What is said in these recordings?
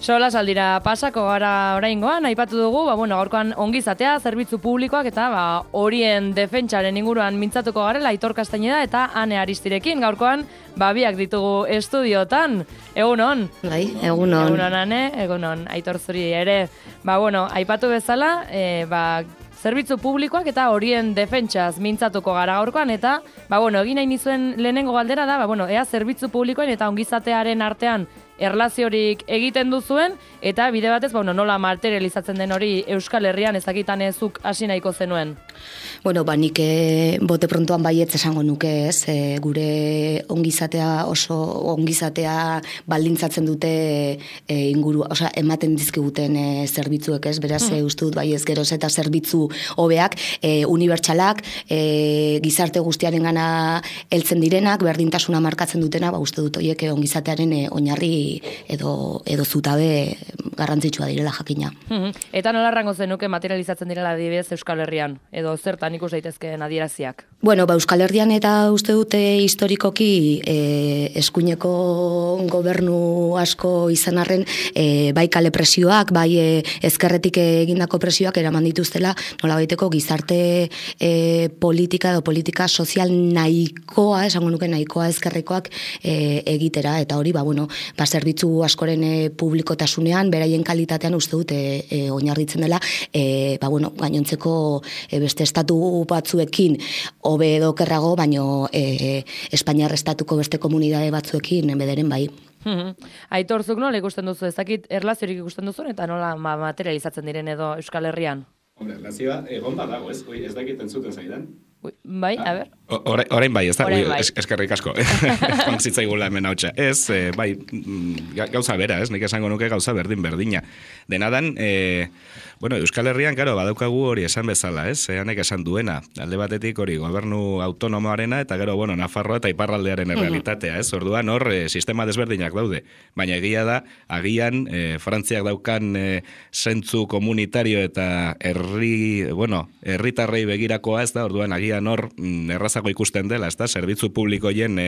Sola saldira pasako gara oraingoan, aipatu dugu, gaurkoan ongizatea, zerbitzu publikoak eta horien defentsaren inguruan mintzatuko garela Aitor Castañeda eta Ane Aristirekin. Gaurkoan, biak ditugu estudiotan. Egunon? Bai, egunon. Egunon, Ane, egunon. Aitor zuri ere. Aipatu bezala, zerbitzu publikoak eta horien defentsaz mintzatuko gara gaurkoan, eta, egin nahi nizuen lehenengo galdera da, ea zerbitzu publikoen eta ongizatearen artean erlaziorik egiten duzuen, eta bide batez, nola materializatzen den hori Euskal Herrian ezakitan ezuk hasi nahiko zenuen? Nik bote prontoan baietz esango nuke, ez, gure ongizatea baldintzatzen dute inguru, ematen dizkiguten zerbitzuek, ez, beraz, uste dut baiez geroz eta zerbitzu hobeak, unibertsalak, gizarte guztiaren gana heltzen direnak, berdintasuna markatzen dutena, uste dut horiek ongizatearen oinarri edo zutabe garrantzitsua direla jakina. Eta nola errango zenuke materializatzen direla adibidez Euskal Herrian, edo zertan ikus daitezkeen adieraziak? Euskal Herrian eta uste dute historikoki eskuineko gobernu asko izan arren, bai kale presioak, bai ezkerretik egindako presioak eraman dituztela, nola baiteko gizarte politika edo politika sozial nahikoa, esango nuke nahikoa ezkerrekoak egitera, eta hori, zerbitzu askoren publikotasunean, beraien kalitatean uste dute oinarritzen dela, gainontzeko beste estatu batzuekin hobe edo kerrago, baino Espainiar estatuko beste komunidade batzuekin bederen bai. Aitor, zuk nola ikusten duzu, ez dakit erlaziorik ikusten duzun, eta nola materializatzen diren edo Euskal Herrian? Erlazioa egon badago, ez dakit entzuten zaidan. Bai, a ber. Orain bai, ez da, eskerrik asko. Joan zitzaigula hemen hautsa. Ez, bai, gauza bera, ez, nik esango nuke gauza berdina. Denadan, Euskal Herrian, badaukagu hori esan bezala, ez, hanek esan duena. Alde batetik hori gobernu autonomoarena, eta gero, Nafarroa eta iparraldearen errealitatea, ez, orduan hor sistema desberdinak daude. Baina egia da, agian, Frantziak daukan zentzu komunitario eta herritarrei begirakoa, ez da, orduan agian hor errazako ikusten dela, ez da, zerbitzu publikoien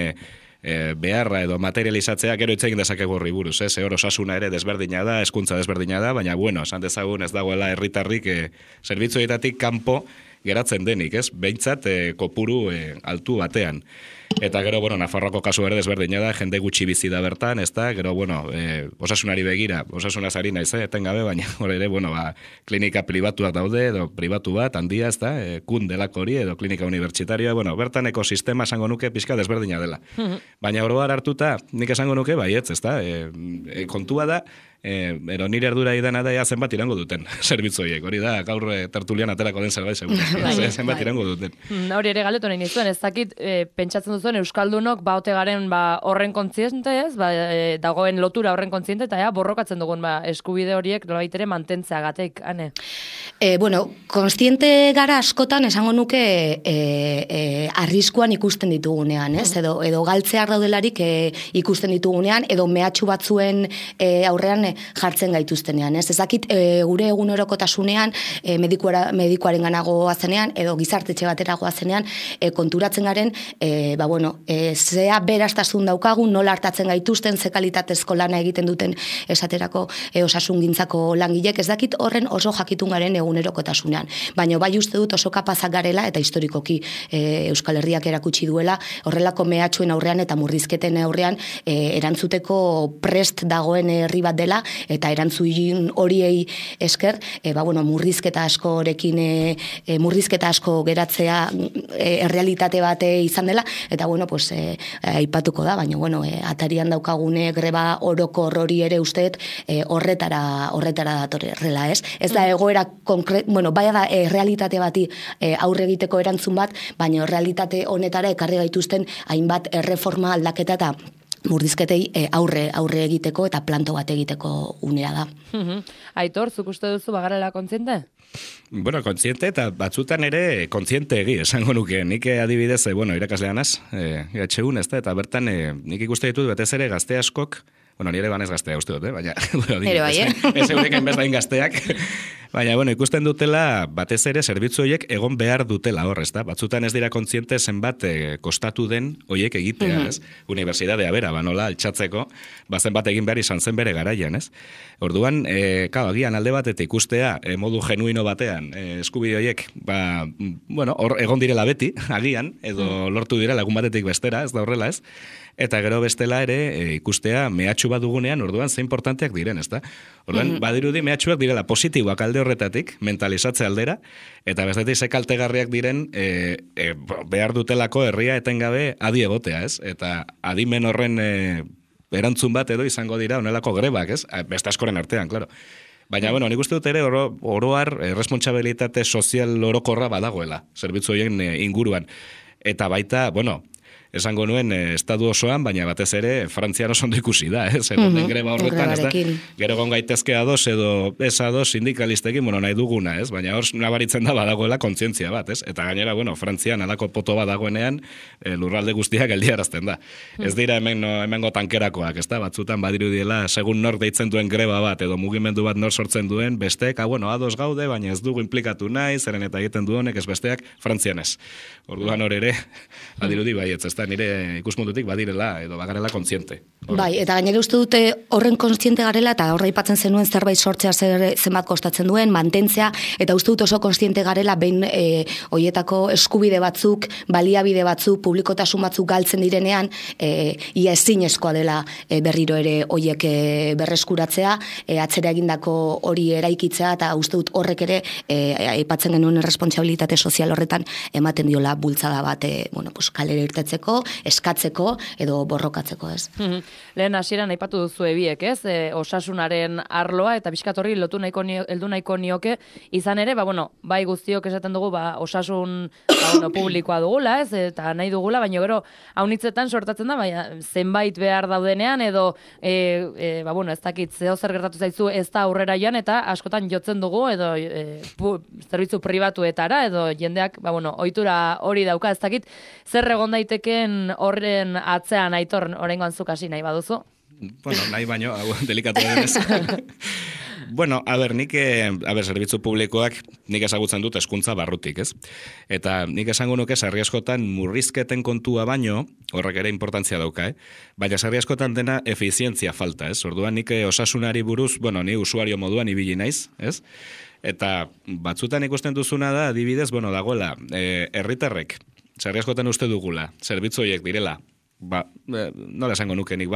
beharra edo materializatzea gero itzegin dezakegu horri buruz, ez, hor osasuna ere desberdina da, hezkuntza desberdina da, baina esan dezagun ez dagoela herritarrik zerbitzuetatik kanpo geratzen denik, ez, behintzat kopuru altu batean. Eta gero, Nafarroako kasu ere desberdina da, jende gutxi bizi da bertan, ez da, gero, osasunari begira, osasunaz ari naiz, etengabe, baina, ere, klinika pribatuak daude, edo pribatu bat, handia, ez da, kun delako hori, edo klinika unibertsitarioa, bertan ekosistema esango nuke pixka desberdina dela. Baina oroar hartuta, nik esango nuke, baietz, ez da, kontua da, ero nire erdura idana da zenbat irango duten zerbitzoiek, hori da gaur tertulian aterako den zerbait segura, zenbat irango duten. Hori ere galdetu nahi nizuen, ez dakit pentsatzen duzuen Euskaldunok ote garen horren kontziente, ez, dagoen lotura horren kontziente, eta borrokatzen dugun eskubide horiek nolabait ere mantentzeagatik, Ane? Kontziente gara askotan esango nuke arriskuan ikusten ditugunean, ez, edo galtzeak daudelarik ikusten ditugunean, edo mehatxu batzuen aurrean jartzen gaituztenean, ez? Ezakit gure egunerokotasunean medikuaren ganago azenean edo gizartetxe batera goazenean konturatzen garen, zea beraztasun daukagun, nola hartatzen gaituzten, ze kalitatezko lana egiten duten esaterako osasungintzako langilek, ez dakit horren oso jakitun garen egunerokotasunean. Baina bai uste dut oso kapazak garela eta historikoki Euskal Herriak erakutsi duela horrelako mehatxuen aurrean eta murrizketen aurrean erantzuteko prest dagoen herri bat dela, eta erantzun horiei esker, murrizketa asko geratzea errealitate bate izan dela, eta aipatuko da, baina atarian daukagune greba orokor hori ere usteet horretara datorrela, ez? Ez da egoera bai da realitate bati aurre egiteko erantzun bat, baina realitate honetara ekarri gaituzten hainbat erreforma aldaketa eta murrizketei aurre egiteko eta planto bat egiteko unea da. Aitor, zuk uste duzu bagarela kontziente? Kontziente eta batzutan ere kontziente egi, esango nuke. Nik adibidez, irakasleanaz, GHUn, ez da, eta bertan nik ikuste ditut betez ere gazte askok, nire banez gaztea uste dut, baina, ez eureken bezlain gazteak, Baina, bueno, ikusten dutela, batez ere, zerbitzu horiek egon behar dutela hor, ez da? Batzutan ez dira kontziente zenbat kostatu den horiek egitea, ez? Unibertsitatea bera, banola, altxatzeko, zenbat egin behar izan zen bere garaian, ez? Orduan, agian alde batetik ikustea, modu genuino batean, eskubide horiek, bueno, hor egon direla beti, agian, edo lortu direla egun batetik bestera, ez da horrela, ez? Eta gero bestela ere ikustea mehatxu bat dugunean, orduan ze importanteak diren, ezta? Orduan, badirudi mehatxuak direla positiboak alde horretatik, mentalizatze aldera, eta bestetik ze kaltegarriak diren behar dutelako herria etengabe adi egotea, ez? Eta adimen horren erantzun bat edo izango dira honelako grebak, ez? Beste askoren artean, claro. Baina, bueno, nik uste dut ere oroar responsabilitate sozial orokorra badagoela, zerbitzu horien inguruan. Eta baita, bueno, esango nuen estadu osoan, baina batez ere Frantzian oso ondo ikusi da, den greba horretan, ez da? Gero gon gaitezke ados edo ez ados sindikalistekin, bueno, nahi duguna, ez? Baina hor nabaritzen da badagoela kontzientzia bat, ez? Eta gainera, bueno, Frantzian alako poto bat dagoenean lurralde guztiak geldiarazten da. Ez dira hemengo tankerakoak, ez da? Batzutan badirudiela, segun nor deitzen duen greba bat, edo mugimendu bat nor sortzen duen, besteek, bueno, ados gaude, baina ez dugu implikatu nahi, zeren eta egiten du honek, ez besteak, Frantzian ez. Orduan hor ere, badirudi baietz, ez da, nire ikusmundutik badirela edo bagarela kontziente. Bai, eta gainera uste dute horren kontziente garela eta horra aipatzen zenuen zerbait sortzea zenbat kostatzen duen, mantentzea, eta uste dut oso kontziente garela behin hoietako eskubide batzuk, baliabide batzuk, publikotasun batzuk galtzen direnean, ia ezinezkoa dela berriro ere hoiek berreskuratzea, atzera egindako hori eraikitzea, eta uste dut horrek ere aipatzen genuen responsabilitate sozial horretan ematen diola bultzada bat, bueno, pues kalera irtetzeko, eskatzeko edo borrokatzeko, ez? Lehen hasieran aipatu duzu biek, ez? Osasunaren arloa eta pixkat horri heldu nahiko nioke, izan ere, bueno, bai guztiok esaten dugu, osasun publikoa dugula, ez? Eta nahi dugula, baina gero haunitzetan sortatzen da, zenbait behar daudenean edo bueno, ez dakit zeo zer gertatu zaizu ez da aurrera joan eta askotan jotzen dugu edo zerbitzu pribatuetara edo jendeak, bueno, ohitura hori dauka, ez dakit zer egon daiteken horren atzean Aitor oraingoan zuk hasi nahi baduzu? Bueno, nahi baino, delikatu denez. Bueno, nik, zerbitzu publikoak nik ezagutzen dut hezkuntza barrutik, ez? Eta nik esango nuke sarri askotan murrizketen kontua baino, horrek ere importantzia dauka, baina sarri askotan dena efizientzia falta, ez? Orduan nik osasunari buruz, bueno, ni usuario moduan ibili naiz, ez? Eta batzutan ikusten duzuna da, adibidez, bueno, dagoela, herritarrek, sarri askotan uste dugula, zerbitzu horiek direla, nola esango nukenik,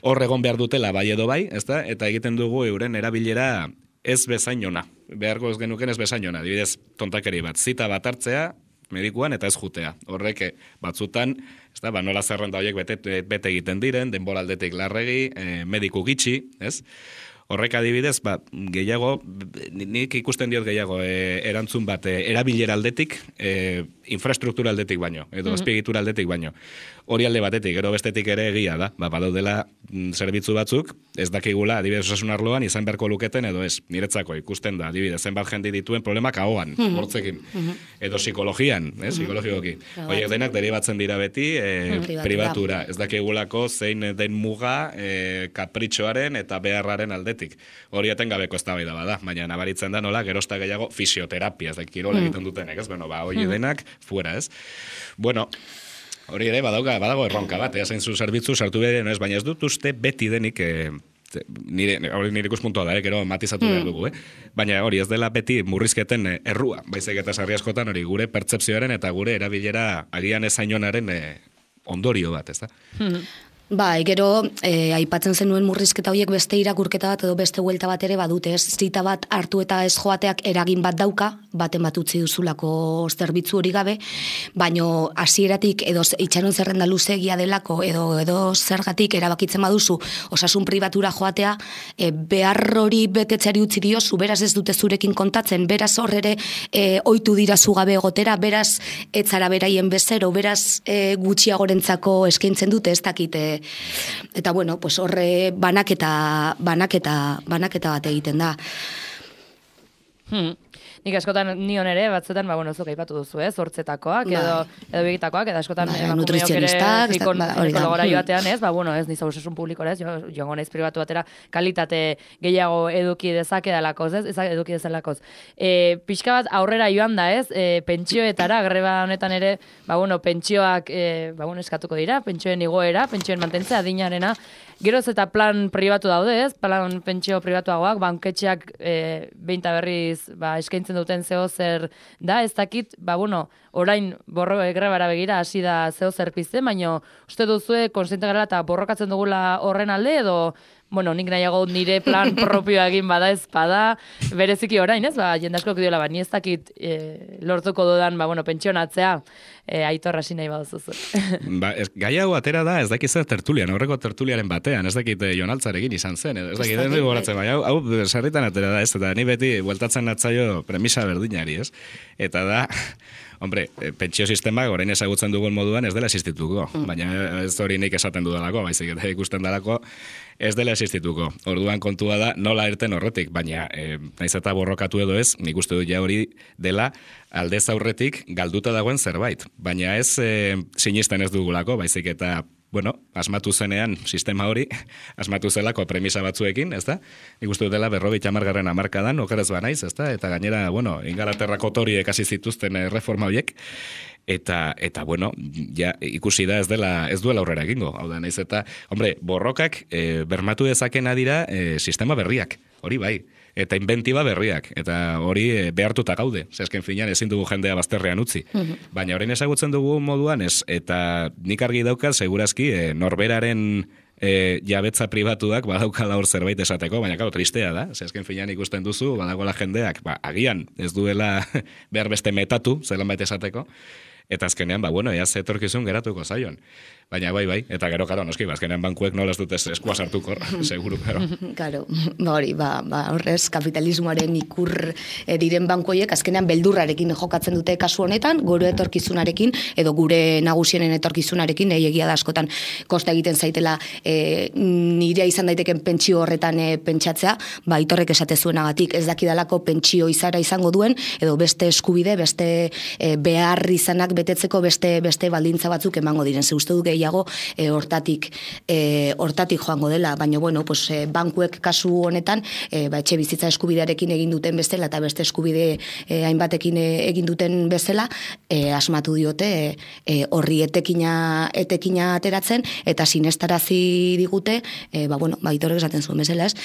hor egon behar dutela bai edo bai, ezta? Eta egiten dugu euren erabilera ez bezainona, beharko ez genuken ez bezainona, adibidez, tontakeri bat, zita bat hartzea, medikuan eta ez jutea. Horrek batzutan, ezta, nola zerrenda horiek bete egiten diren, denboraldetik larregi, mediku gitxi, ez? Horrek adibidez, gehiago, nik ikusten diot gehiago erantzun bat erabilera aldetik, infrastruktura aldetik baino, edo azpiegitura aldetik baino. Hori alde batetik, gero bestetik ere egia da, badaudela zerbitzu batzuk, ez dakigula, adibidez osasun arloan, izan beharko luketen edo ez, niretzako ikusten da, adibidez, zenbat jende dituen problemak ahoan, hortzekin, edo psikologian, psikologikoki. Horiek denak deribatzen dira beti pribatura, ez dakigulako zein den muga kapritxoaren eta beharraren aldetik. Hori etengabeko eztabaida bada, baina nabaritzen da nola, gerozta gehiago fisioterapia, ez da kirola egiten dutenek, ez? Bueno, hori denak, fuera, ez? Bueno, hori ere, badago erronka bat, zein zu zerbitzu sartu behar, ez, baina ez dut uste beti denik, nire ikuspuntua da, gero matizatu behar dugu, baina hori ez dela beti murrizketen errua, baizik eta sarri askotan hori gure pertzepzioaren eta gure erabilera agian ezainonaren ondorio bat, ez da? Bai, gero, aipatzen zenuen murrizketa horiek beste irakurketa bat edo beste huelta bat ere badute, ez? Zita bat hartu eta ez joateak eragin bat dauka, baten bat utzi duzulako zerbitzu hori gabe, baino hasieratik edo itxaron zerrenda luzegia delako edo zergatik erabakitzen baduzu osasun pribatura joatea, behar hori betetzeari utzi diozu, beraz ez dute zurekin kontatzen, beraz horrere ohitu dira zugabe egotera, beraz etzara beraien bezero, beraz gutxiagorentzako eskaintzen dute, ez dakite. Eta bueno, pues horre banaketa bat egiten da. nik askotan nion ere, batzuetan, zuk aipatu duzu, hortzetakoak, edo begitakoak, edo askotan nutrizionistak, psikologora joatean, ez niza osasun publikora, ez, joango naiz pribatu batera, kalitate gehiago eduki dezakedalakoz, ez eduki dezalakoz. Pixka bat aurrera joan da, ez, pentsioetara, greba honetan ere, pentsioak, eskatuko dira, pentsioen igoera, pentsioen mantentzea, adinarena, geroz eta plan pribatu daude, ez? Plan pentsio pribatuagoak, banketxeak behinta berriz eskaintzen duten zeo zer da, ez dakit, orain grebara begira hasi da zeo zer pizten, baina uste duzue konsiente gara eta borrokatzen dugula horren alde, edo nik nahiago nire plan propioa egin bada ez bada, bereziki orain, ez? Jende asko diola, ni ez dakit lortuko dudan, pentsionatzea, Aitor hasi nahi baduzuzu. Gai hau atera da, ez dakit zer tertulian, horreko tertuliaren batean, ez dakit Jon Altzarekin izan zen, ez dakit den dugu horatzen, hau sarritan atera da, ez, eta ni beti bueltatzen natzaio premisa berdinari, ez? Eta da, hombre, pentsio sistemak orain ezagutzen dugun moduan ez dela existituko, baina ez hori nik esaten dudalako, baizik eta ikusten dalako ez dela existituko. Orduan kontua da nola irten horretik, baina naiz eta borrokatu edo ez, nik uste dut ja hori dela aldez aurretik galduta dagoen zerbait. Baina ez sinisten ez dugulako, baizik eta asmatu zenean sistema hori, asmatu zelako premisa batzuekin, ez da? Nik uste dut dela 50. hamarkadan, okeraz banaiz, ez da? Eta gainera, Ingalaterrako toriek hasi zituzten reforma horiek, eta ja ikusi da ez duela aurrera egingo. Hau da, naiz eta, hombre, borrokak bermatu dezakena dira sistema berriak, hori bai. Eta inventiba berriak, eta hori behartuta gaude. Zesken finean ezin dugu jendea bazterrean utzi. Baina orain ezagutzen dugu moduan ez, eta nik argi daukat, segurazki, norberaren jabetza pribatuak badaukala hor zerbait esateko, baina claro, tristea da. Zesken finean ikusten duzu, badagoela jendeak, agian ez duela behar beste metatu, zelan bait esateko, eta azkenean, ea zetorkizun geratuko zaion. Baina bai, eta gero, noski, azkenean bankuek nola ez dute eskua sartuko, seguru, Karo, horrez, kapitalismoaren ikur diren bankoiek, azkenean beldurrarekin jokatzen dute kasu honetan, gure etorkizunarekin, edo gure nagusienen etorkizunarekin, egia da askotan kosta egiten zaitela nirea izan daiteken pentsio horretan pentsatzea, Aitorrek esate zuenagatik ez dakidalako pentsio izara izango duen, edo beste eskubide, beste behar izanak betetzeko beste baldintza batzuk emango diren. Ze uste du gehiago hortatik joango dela, baina bankuek kasu honetan etxe bizitza eskubidearekin egin duten bezala eta beste eskubide hainbatekin egin duten bezala asmatu diote horri etekina ateratzen eta sinestarazi digute Aitorrek esaten zuen bezala, ez?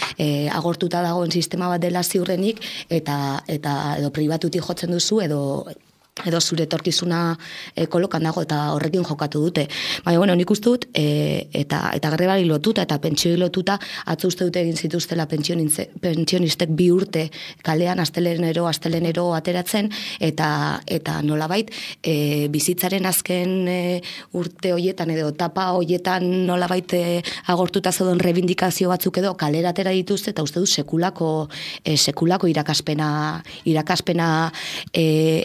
Agortuta dagoen sistema bat dela ziurrenik eta edo pribatutik jotzen duzu edo zure etorkizuna kolokan dago eta horrekin jokatu dute. Baina, nik uste dut, eta grebari lotuta eta pentsioi lotuta, atzo uste dute egin zituztela pentsionistek 2 urte kalean astelenero ateratzen, eta nolabait, bizitzaren azken urte hoietan edo etapa hoietan nolabait agortuta zeuden rebindikazio batzuk edo kalera atera dituzte, eta uste dut sekulako irakaspena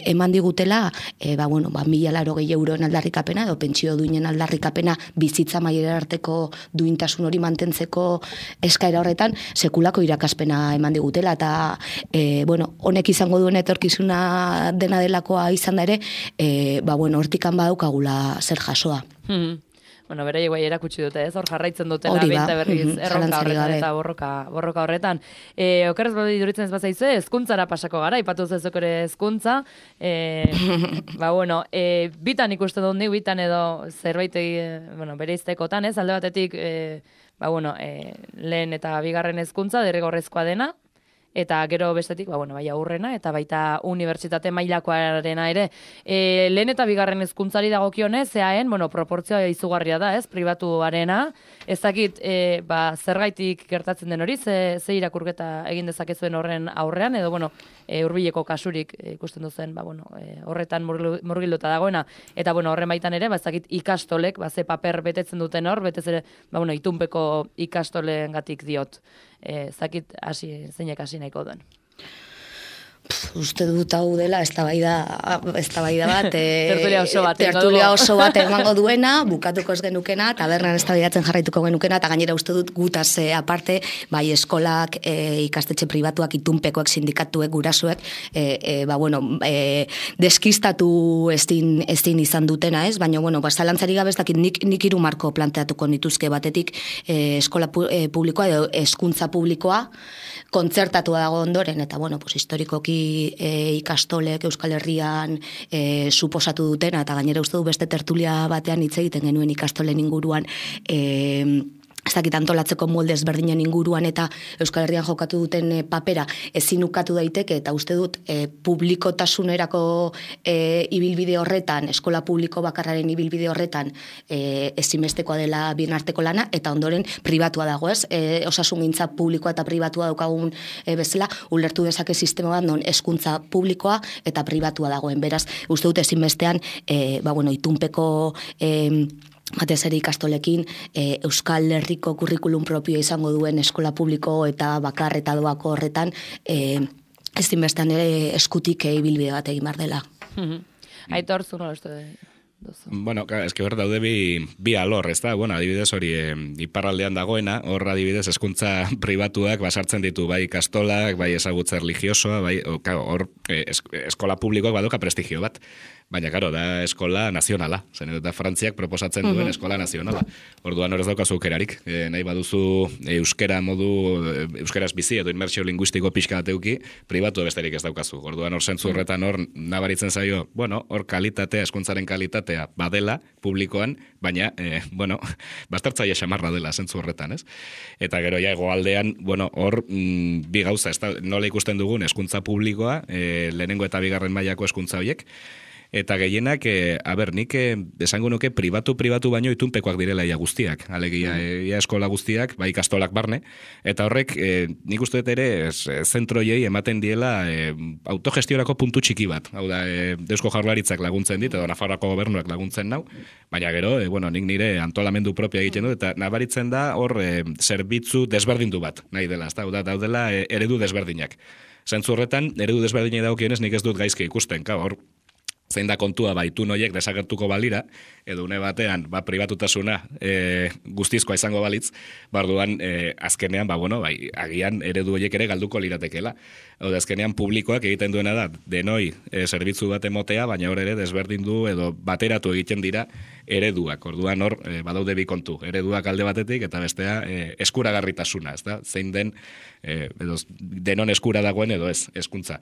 eman digute €1.080 euroen aldarrikapena edo pentsio duinen aldarrikapena bizitza maiera arteko duintasun hori mantentzeko eskaera horretan sekulako irakaspena eman digutela eta honek izango duen etorkizuna dena delakoa izan da ere hortikan badaukagula zer jasoa. Beraiek bai erakutsi dute, ez? Hor jarraitzen dutela beinta berriz erronka horretan eta borroka horretan. Okerrez badi iduritzen ez bazaizu, hezkuntzara pasako gara, aipatu zezuk ere hezkuntza. Bitan ikusten dut nik, bitan edo zerbait bereiztekotan, ez? Alde batetik, lehen eta bigarren hezkuntza derrigorrezkoa dena, eta gero bestetik, aurrena, eta baita unibertsitate mailakoarena ere. Lehen eta bigarren hezkuntzari dagokionez, eaen, proportzioa izugarria da, ez, pribatuarena. Ez dakit, zergaitik gertatzen den hori, ze irakurketa egin dezakezuen horren aurrean, edo, hurbileko kasurik ikusten duzen, horretan murgilduta dagoena. Eta, horren baitan ere, ez dakit ikastolek, ze paper betetzen duten hor, betez ere, itunpeko ikastoleen gatik diot. Zakit zeinek hasi nahiko duen. Uste dut hau dela eztabaida bat tertulia oso bat emango duena, bukatuko ez genukena, tabernan eztabaidatzen jarraituko genukena, eta gainera uste dut gutaz aparte, bai eskolak, ikastetxe pribatuak, itunpekoek, sindikatuek, gurasuek, deskistatu ezin izan dutena, ez? Baina, zalantzari gabe ez dakit nik hiru marko planteatuko nituzke batetik eskola publikoa edo hezkuntza publikoa kontzertatua dago ondoren, eta, historikoki ikastolek Euskal Herrian suposatu dutena, eta gainera uste du beste tertulia batean hitz egiten genuen ikastolen inguruan ez dakit antolatzeko molde ezberdinen inguruan eta Euskal Herrian jokatu duten papera ezin ukatu daiteke, eta uste dut publikotasunerako ibilbide horretan, eskola publiko bakarraren ibilbide horretan ezinbestekoa dela bien arteko lana, eta ondoren pribatua dago, ez? Osasungintza publikoa eta pribatua daukagun bezala, ulertu dezake sistema bat non hezkuntza publikoa eta pribatua dagoen. Beraz, uste dut ezinbestean itunpeko batez ere ikastolekin Euskal Herriko kurrikulum propioa izango duen eskola publiko eta bakar eta doako horretan ezinbestean ere eskutik ibilbide bat egin behar dela. Aitor, zu nola uste duzu? Bueno, eske hor daude bi alor, ez da? Adibidez hori iparraldean dagoena, hor adibidez hezkuntza pribatuak basartzen ditu bai ikastolak, bai ezagutza religiosoa, bai hor eskola publikoak badoka prestigio bat. Baina, karo, da eskola nazionala. Zen eta Frantziak proposatzen duen eskola nazionala. Orduan horrez daukazu aukerarik. Nahi baduzu euskeraz bizi edo inmersio linguistiko pixka bateuki, pribatu besterik ez daukazu. Orduan hor zentzu horretan hor nabaritzen zaio, hor kalitatea, hezkuntzaren kalitatea badela publikoan, baina, bastartzaile xamarra dela zentzu horretan, ez? Eta gero ja hegoaldean, hor bi gauza, nola ikusten dugun hezkuntza publikoa, lehenengo eta bigarren mailako hezkuntza horiek, eta gehienak, nik esango nuke pribatu baino itunpekoak direla ia guztiak. Alegia, ia eskola guztiak, bai ikastolak barne, eta horrek, nik uste dut ere, zentroiei ematen diela autogestiorako puntu txiki bat. Hau da, Eusko Jaurlaritzak laguntzen dit, edo Nafarroako gobernuak laguntzen nau, baina gero, nik nire antolamendu propia egiten dut, eta nabaritzen da hor zerbitzu desberdindu bat, nahi dela, ez da, daudela eredu desberdinak. Zentzu horretan, eredu desberdinei daukionez nik ez dut gaizki ikusten, hor, zein da kontua itun horiek desagertuko balira, edo une batean, pribatutasuna guztizkoa izango balitz, barduan azkenean, agian eredu horiek ere galduko liratekela. Azkenean publikoak egiten duena da, denoi zerbitzu bat emotea, baina hor ere desberdindu edo bateratu egiten dira ereduak. Orduan hor, badaude bi kontu, ereduak alde batetik, eta bestea eskuragarritasuna, ez da? Zein den, denon eskura dagoen edo ez, hezkuntza.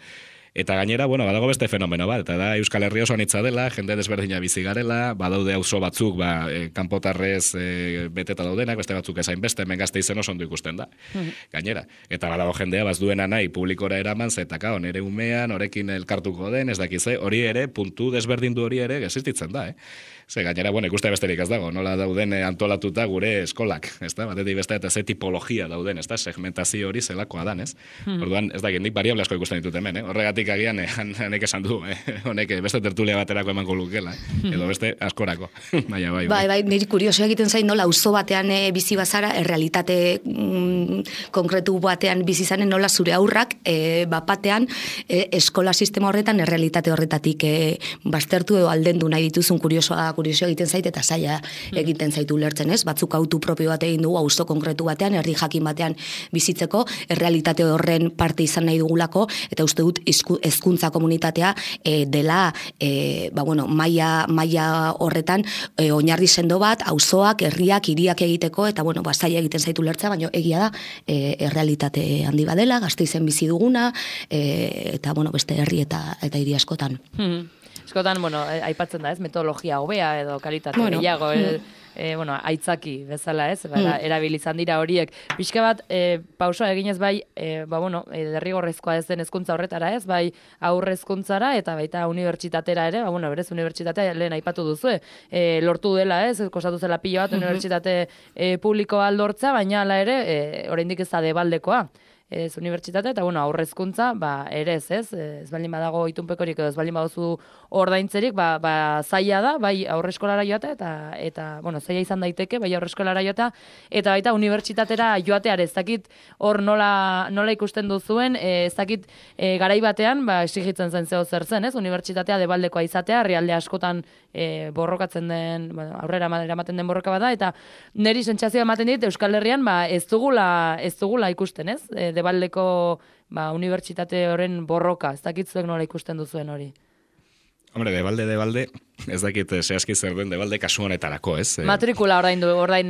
Eta gainera, badago beste fenomeno bat, eta da Euskal Herria oso anitza dela, jende desberdina bizi garela, badaude auzo batzuk, kanpotarrez beteta daudenak, beste batzuk ezain beste, hemen Gasteizen oso ondo ikusten da. Gainera, eta badago jendea bazduena nahi publikora eraman, zetaka, nere umean, horekin elkartuko den, ez dakize, hori ere, puntu desberdindu hori ere, existitzen da, Ze gainera, ikuste besterik ez dago, nola dauden antolatuta gure eskolak, ez da? Batetik beste eta ze tipologia dauden, ez da? Segmentazio hori zelakoa dan, ez? Orduan, ez da, nik variable asko ikusten ditut hemen, Horregatik agian, hanek esan du, honek beste tertulia baterako emango lukela, edo beste askorako. Bai, niri kurioso egiten zain, nola auzo batean bizi bazara, errealitate konkretu batean bizi zanen, nola zure aurrak, bapatean, eskola sistema horretan, errealitate horretatik baztertu edo aldendu nahi dituzun kurioso egiten zait eta zaila egiten zaitu lertzen, ez? Batzuk autu propio bat egin dugu auzo konkretu batean, herri jakin batean bizitzeko, errealitate horren parte izan nahi dugulako, eta uste dut hezkuntza komunitatea dela maila horretan oinarri sendo bat, auzoak, herriak, hiriak egiteko, eta zaila egiten zaitu lertzea, baina egia da errealitate handi badela, Gasteizen bizi duguna, eta beste herri eta hiri askotan. Eskotan, aipatzen da, ez, metodologia hobea edo kalitate gehiago, aitzaki bezala, ez, erabilizan dira horiek. Pixka bat, pausoa eginez bai, derrigorrezkoa ez den hezkuntza horretara, ez, bai aurrezkuntzara eta baita unibertsitatera ere, berez unibertsitatea lehen aipatu duzu, lortu dela, ez, kostatu zela pilo bat unibertsitate publikoa aldortza, baina hala ere, oraindik ez da debaldekoa. ez unibertsitatea, eta bueno, aurrezkuntza, ere ez baldin badago itunpekorik edo ez baldin baduzu ordaintzerik, zaila da, bai aurreskolara joatea, eta bueno, zaila izan daiteke, bai aurreskolara joatea, eta baita unibertsitatera joateare, ez dakit hor nola ikusten duzuen, ez dakit garai batean, exigitzen zen zeo zer zen, ez? Unibertsitatea debaldekoa izatea, herrialde askotan borrokatzen den, aurrera eramaten den borroka bada, eta niri sentsazioa ematen dit Euskal Herrian ez dugula ikusten, ez? Debaldeko unibertsitate horren borroka, ez dakit zuek nola ikusten duzuen hori. Hombre, debalde, ez dakit zehazki zer den debalde kasu honetarako, ez? Matrikula ordain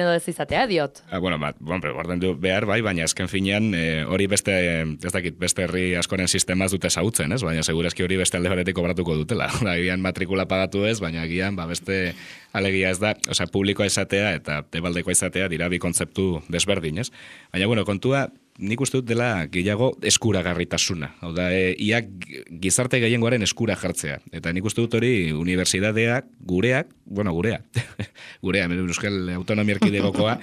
edo ez izatea, diot. Ordaindu behar bai, baina azken finean hori beste, ez dakit, beste herri askoren sistemaz dute ezagutzen, ez? Baina segurazki hori beste alde batetik kobratuko dutela. Gian matrikula pagatu ez, baina gian beste alegia ez da, osea, publikoa izatea eta debaldekoa izatea dira bi kontzeptu desberdin, ez? Baina, kontua, nik uste dut dela gehiago eskuragarritasuna. Hau da, ia gizarte gehiengoaren eskura jartzea. Eta nik uste dut hori unibertsitateak, gurea, Euskal Autonomia Erkidegokoa,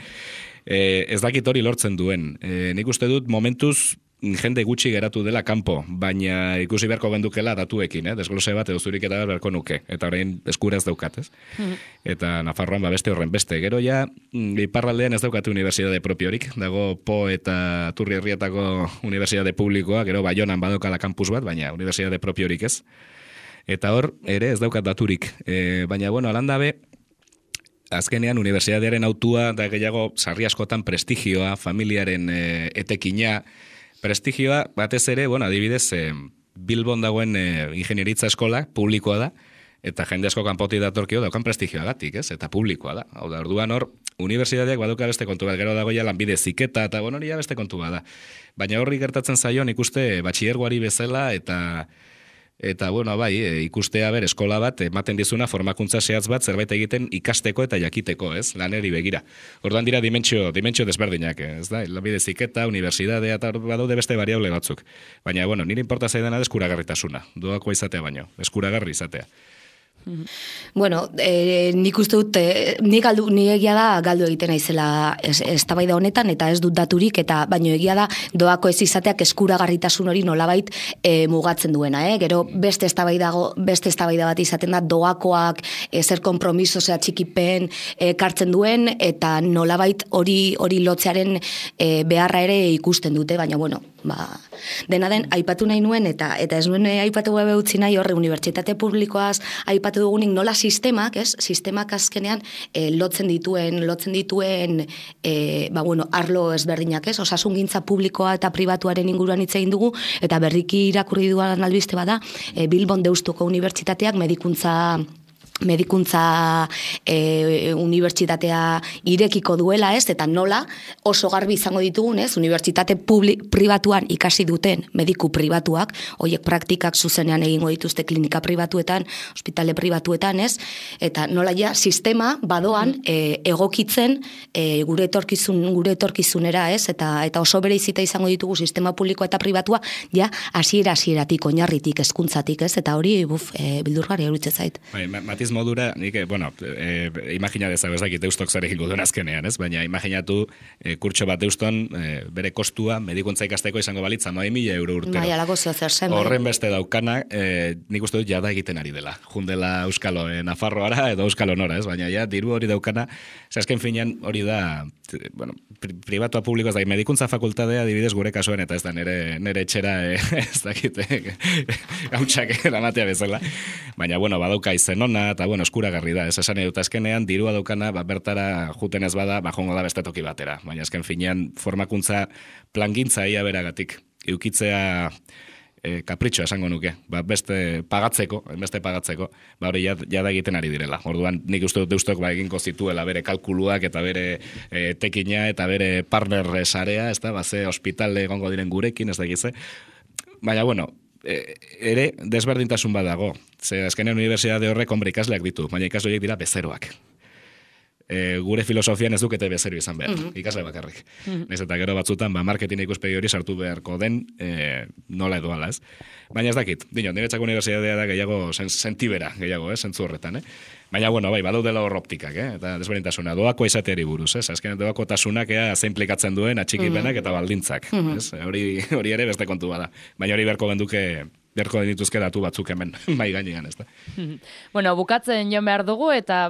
ez dakit hori lortzen duen. Nik uste dut momentuz jende gutxi geratu dela kanpo, baina ikusi beharko gendukela datuekin, desglose bat edo zurik eta beharko nuke, eta orain eskuraz daukat, ez? Eta Nafarroan beste horren beste. Gero ja, iparraldean ez daukate unibertsitate propiorik, dago Po eta Turri Herrietako unibertsitate publikoa, gero Baionan badokala kampus bat, baina unibertsitate propiorik ez. Eta hor, ere ez daukat daturik. Baina, alandabe, azkenean unibertsitatearen autua da gehiago sarri askotan prestigioa, familiaren etekina, prestigioa batez ere, adibidez, Bilbon dagoen ingenieritza eskola publikoa da, eta jende asko kanpotik datorkio daukan prestigioagatik, ez? Eta publikoa da. Hau da, orduan hor, unibertsitateak baduka beste kontu bat, gero dago ja lanbide ziketa, eta hori ja beste kontu bat da. Baina horri gertatzen zaio, ikuste batxillergoari bezala, eta ikustea eskola bat ematen dizuna formakuntza zehatz bat zerbait egiten ikasteko eta jakiteko, ez? Laneri begira. Orduan dira dimentsio desberdinak, ez da? Lanbide ziketa, unibertsitatea eta badaude beste variable batzuk. Baina, nire inporta zaidana da eskuragarritasuna. Doakoa izatea baino, eskuragarri izatea. Nik uste dut, ni egia da galdu egiten naizela eztabaida honetan, eta ez dut daturik, eta baino egia da doako ez izateak eskuragarritasun hori nolabait mugatzen duena. Gero beste eztabaida bat izaten da doakoak zer konpromiso, txikipen kartzen duen, eta nolabait hori lotzearen beharra ere ikusten dute, baina dena den aipatu nahi nuen, eta ez nuen aipatu gabe utzi nahi horre unibertsitate publikoaz aipatu dugunik nola sistemak azkenean lotzen dituen arlo ezberdinak, osasungintza publikoa eta pribatuaren inguruan hitz egin dugu, eta berriki irakurri duan albiste bada, Bilbon Deustuko Unibertsitateak medikuntza unibertsitatea irekiko duela, eta nola oso garbi izango ditugun, unibertsitate pribatuan ikasi duten mediku pribatuak, horiek praktikak zuzenean egingo dituzte klinika pribatuetan, ospitale pribatuetan, eta nola ja sistema badoan egokitzen gure etorkizunera, eta oso bereizita izango ditugu sistema publikoa eta pribatua, ja hasieratik, oinarritik, hezkuntzatik, eta hori bildurgarria iruditzen zait. Matiz modura, nik, imagina dezago ez dakit Deustok zer egingo duen azkenean, ez? Baina imaginatu kurtso bat Deuston bere kostua medikuntza ikasteko izango balitza 100.000 euro urtero. Bai, alako zer zen. Horren beste daukana, nik uste dut jada egiten ari dela. Jundela Euskalo Nafarroara edo Euskalo nora, ez? Baina ja, diru hori daukana, azken finean hori da, pribatua publiko ez da, medikuntza fakultatea adibidez gure kasuan, eta ez da nere etxera ez dakit gautxak eramatea bezala. Baina, badauka izen ona, eta eskuragarri da, ez esan edut azkenean, dirua daukana, bertara juten ez bada, jongo da beste toki batera. Baina azken finean, formakuntza plangintza ia beragatik, eukitzea kapritxoa esango nuke, beste pagatzeko, hori jada egiten ari direla. Orduan, nik uste dut Deustok egingo zituela bere kalkuluak eta bere tekina eta bere partner sarea, ez da, ze hospitale egongo diren gurekin, ez da egize. Baina, ere desberdintasun badago. Ze azkenean unibertsitate horrek ikasleak ditu, baina ikasle horiek dira bezeroak. gure filosofian ez dukete bezerio izan behar, ikasle bakarrik. Naiz eta gero batzutan, marketing ikuspegi hori sartu beharko den, nola edo ala, ez? Baina ez dakit, niretzako unibertsitatea da gehiago sentibera, gehiago, zentzu horretan, Baina, bueno, bai, badaudela hor optikak, eta desberdintasuna, doako izateari buruz, azkenean doako tasunak zein implikatzen duen atxikipenak eta baldintzak, hori ere beste kontu bada. Baina hori beharko dituzke datu batzuk hemen, bai gainean, ez da. Bueno, bukatzen joan behar dugu, eta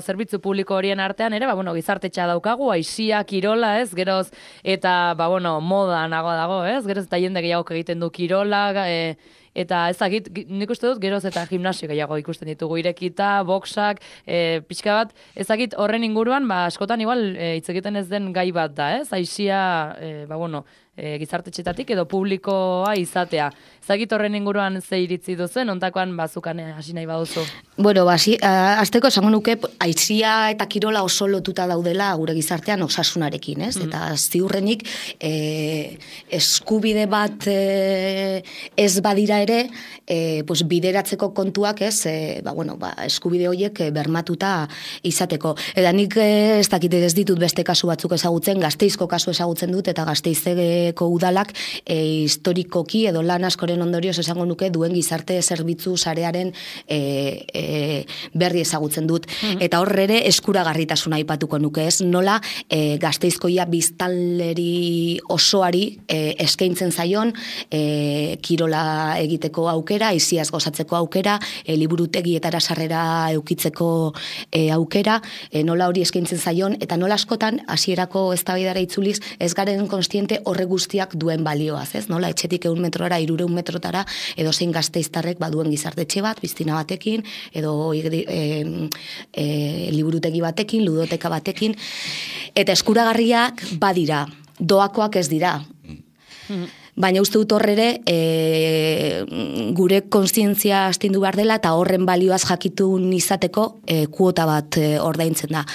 zerbitzu publiko horien artean ere, gizartetxa daukagu, aisia, kirola, geroz, eta, moda nago dago, geroz, eta jende gehiago egiten du kirola, eta ez dakit, nik uste dut, geroz eta gimnasio gehiago ikusten ditugu, irekita, boxak, pixka bat, ez dakit horren inguruan, askotan igual hitz egiten ez den gai bat da, aisia, gizartetxetatik edo publikoa izatea. Zagit horren inguruan ze iritzi duzen, ontakoan bazukan hasi nahi baduzu? Bueno, azteko esango nuke, aisia eta kirola oso lotuta daudela gure gizartean osasunarekin, Eta ziurrenik, eskubide bat ez badira ere, bideratzeko kontuak eskubide horiek bermatuta izateko. Eta nik ez dakit ez ditut beste kasu batzuk ezagutzen, Gasteizko kasu ezagutzen dut, eta Gasteizeko udalak historikoki edo lan askoren ondorioz esango nuke duen gizarte zerbitzu sarearen berri ezagutzen dut. Eta horre ere eskuragarritasuna aipatuko nuke, nola Gasteizkoia biztanleri osoari eskaintzen zaion kirola egiteko aukera, aisiaz gozatzeko aukera, liburutegietara sarrera eukitzeko aukera, nola hori eskaintzen zaion, eta nola askotan hasierako eztabaidara itzuliz ez garen konstiente horre guztiak duen balioaz, nola etxetik 100 metrora, 300 metrotara, edo zein gasteiztarrek baduen gizartetxe bat, biztina batekin, edo liburutegi batekin, ludoteka batekin, eta eskuragarriak badira, doakoak ez dira. Baina uste dut horre gure kontzientzia astindu behar dela eta horren balioaz jakitun izateko kuota bat ordaintzen da.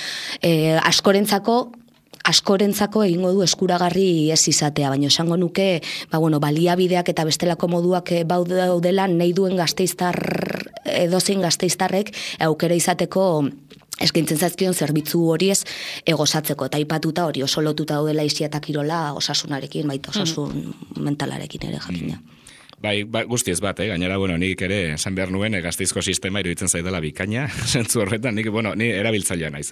Askorentzako egingo du eskuragarri ez izatea, baina esango nuke baliabideak eta bestelako moduak daudela nahi duen edozein gasteiztarrek aukera izateko eskaintzen zaizkion zerbitzu horiez gozatzeko, eta aipatuta hori oso lotuta daudela aisia eta kirola osasunarekin, baita osasun mentalarekin ere jakina. Bai, guztiez bat, gainera, nik ere esan behar nuen Gasteizko sistema iruditzen zaidala bikaina, zentzu horretan, ni erabiltzailea naiz,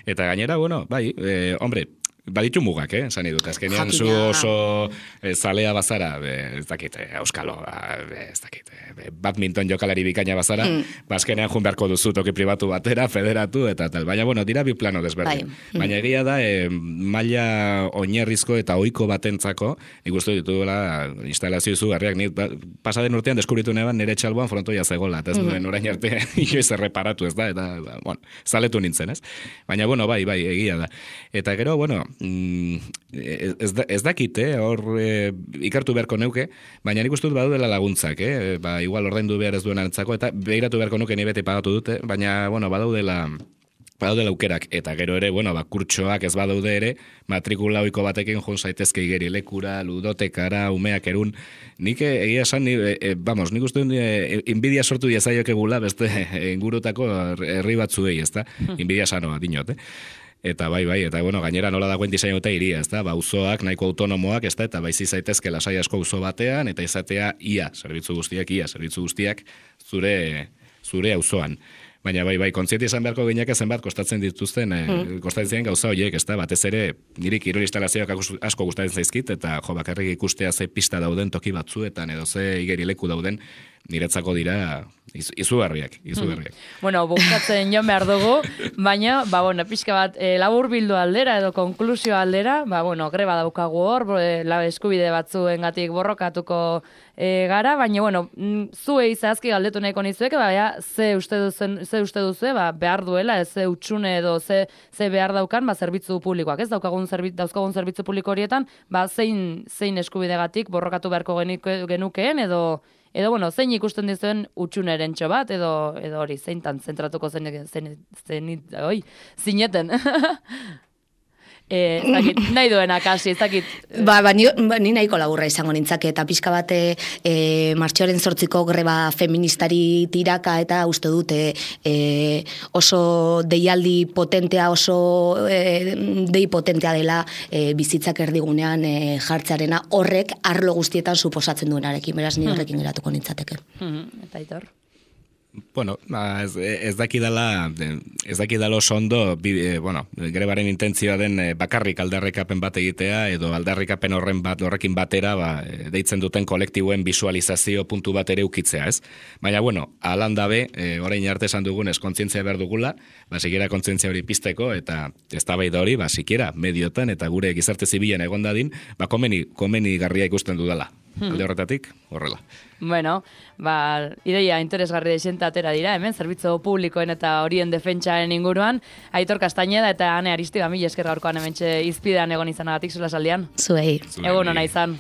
Eta gainera, hombre, baditu mugak, esan idut, azkenean zu oso zalea bazara, ez dakit, euskalo, ez dakit, badminton jokalari bikaina bazara, azkenean jun beharko duzu toki pribatu batera, federatu, eta tal, baina, dira bi plano desberdin. Baina egia da, maila oinarrizko eta ohiko batentzako, nik uste dituela instalazio izugarriak, nik pasaden urtean deskubritu neban nire txalboan frontoia zegoela, eta ez nuen orain arte inoiz erreparatu, ez da, eta, zaletu nintzen, ez? Baina, bai, egia da. Eta gero, ez dakite, hor ikartu beharko neuke, baina nik uste dut badu dela laguntzak, igual ordaindu behar ez duen antzako, eta behiratu beharko nuke ni beti pagatu dute, baina, badaudela aukerak, eta gero ere, kurtsoak ez badaude ere, matrikula ohiko batekin joan zaitezke igerilekura, ludotekara, umeak erun, nik egia esan, nik uste inbidia sortu diezaiokegula beste ingurutako herri batzuei, ez da? Inbidia sanoa, dinot, Eta bai, eta gainera nola dagoen diseinu eta iria, ezta? Auzoak nahiko autonomoak, ezta? Eta baizi zaitezke lasai asko auzo batean eta izatea zerbitzu guztiak zure auzoan. Baina bai, kontziente izan beharko gineak zenbat kostatzen dituzten, kostatzen gauza horiek, ezta? Batez ere, niri kirol instalazioak asko gustatzen zaizkit, eta bakarrik ikustea ze pista dauden toki batzuetan, edo ze igerileku dauden, niretzako dira izugarriak. Bukatzen joan behar dugu, baina, pixka bat, labur bildu aldera edo konklusio aldera, greba daukagu hor, eskubide batzuengatik borrokatuko gara, baina, zuei zehazki galdetu nahiko nizueke, ze uste duzu, behar duela, ze utxune edo ze behar daukan, zerbitzu publikoak, ez dauzkagun zerbitzu publiko horietan, zein eskubidegatik borrokatu beharko genukeen, edo zein ikusten dizuen utxuneren bat, edo hori, zeintan zentratuko zineten. nahi duena kasi, ez dakit. Ni nahiko laburra izango nintzake, eta pixka bat martxoaren 8ko greba feministari tiraka, eta uste dute oso deialdi potentea, oso dei potentea dela bizitzak erdigunean jartzearena, horrek arlo guztietan suposatzen duenarekin, beraz ni horrekin geratuko nintzateke. Eta Aitor? Bueno, ez dakidala oso ondo, grebaren intentzioa den bakarrik aldarrikapen bat egitea, edo aldarrikapen horrekin batera, deitzen duten kolektiboen visualizazio puntu bat ere ukitzea, ez? Baina, alan dabe, orain arte esan dugunez, kontzientzia behar dugula, sikiera kontzientzia hori pizteko, eta eztabaida hori, sikiera mediotan, eta gure gizarte zibilen egon dadin, komeni garria ikusten dudala. Alde horretatik, horrela. Bueno, ideia interesgarri deixenta atera dira, hemen, zerbitzu publikoen eta horien defentsaren inguruan, Aitor Castañeda eta Ane Aristiba, mila esker gaurkoan hementxe izpidean egon izanagatik sola saldian. Zuei. Egun ona izan.